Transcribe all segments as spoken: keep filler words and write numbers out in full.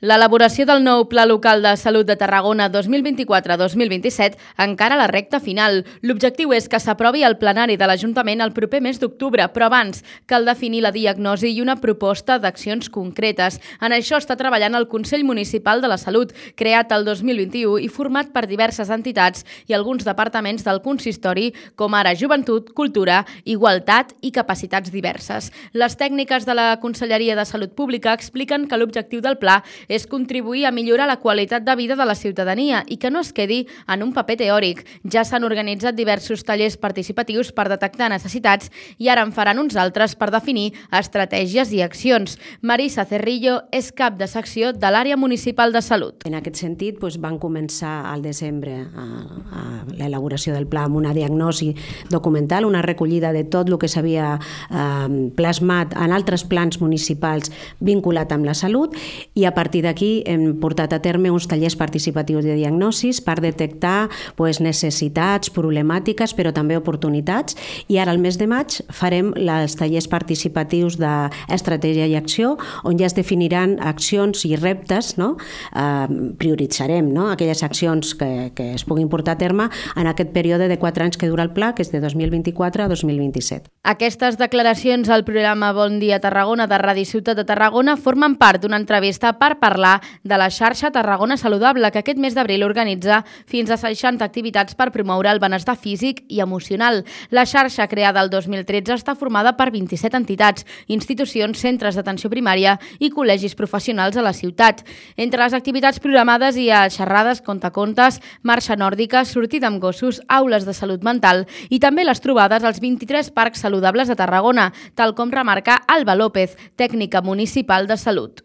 L'elaboració del nou Pla Local de Salut de Tarragona dos mil vint-i-quatre dos mil vint-i-set encara a la recta final. L'objectiu és que s'aprovi al plenari de l'Ajuntament el proper mes d'octubre, però abans cal definir la diagnosi i una proposta d'accions concretes. En això està treballant el Consell Municipal de la Salut, creat el dos mil vint-i-u i format per diverses entitats i alguns departaments del consistori, com ara Joventut, Cultura, Igualtat i Capacitats diverses. Les tècniques de la Conselleria de Salut Pública expliquen que l'objectiu del pla és contribuir a millorar la qualitat de vida de la ciutadania i que no es quedi en un paper teòric. Ja s'han organitzat diversos tallers participatius per detectar necessitats i ara en faran uns altres per definir estratègies i accions. Marisa Cerrillo és cap de secció de l'àrea municipal de salut. En aquest sentit, doncs, van començar al desembre a, a l'elaboració del pla amb una diagnosi documental, una recollida de tot el que s'havia eh, plasmat en altres plans municipals vinculat amb la salut, i a partir d'aquí hem portat a terme uns tallers participatius de diagnosis per detectar pues, necessitats, problemàtiques, però també oportunitats, i ara al mes de maig farem els tallers participatius d'estratègia i acció, on ja es definiran accions i reptes, no? Eh, prioritzarem no? aquelles accions que, que es puguin portar a terme en aquest període de quatre anys que dura el pla, que és de dos mil vint-i-quatre a dos mil vint-i-set. Aquestes declaracions al programa Bon Dia Tarragona de Ràdio Ciutat de Tarragona formen part d'una entrevista per parlar de la xarxa Tarragona Saludable, que aquest mes d'abril organitza fins a seixanta activitats per promoure el benestar físic i emocional. La xarxa, creada el dos mil tretze, està formada per vint-i-set entitats, institucions, centres d'atenció primària i col·legis professionals a la ciutat. Entre les activitats programades hi ha xerrades, contacontes, marxa nòrdica, sortida amb gossos, aules de salut mental i també les trobades als vint-i-tres parcs saludables de Tarragona, tal com remarca Alba López, tècnica municipal de salut.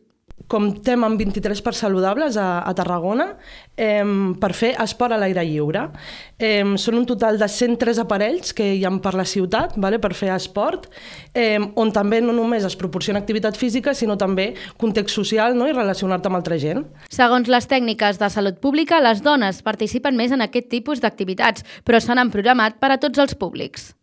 Comptem amb vint-i-tres parcs saludables a, a Tarragona eh, per fer esport a l'aire lliure. Eh, són un total de cent tres aparells que hi ha per la ciutat, vale, per fer esport, eh, on també no només es proporciona activitat física, sinó també context social, no? I relacionar-te amb altra gent. Segons les tècniques de salut pública, les dones participen més en aquest tipus d'activitats, però se n'han programat per a tots els públics.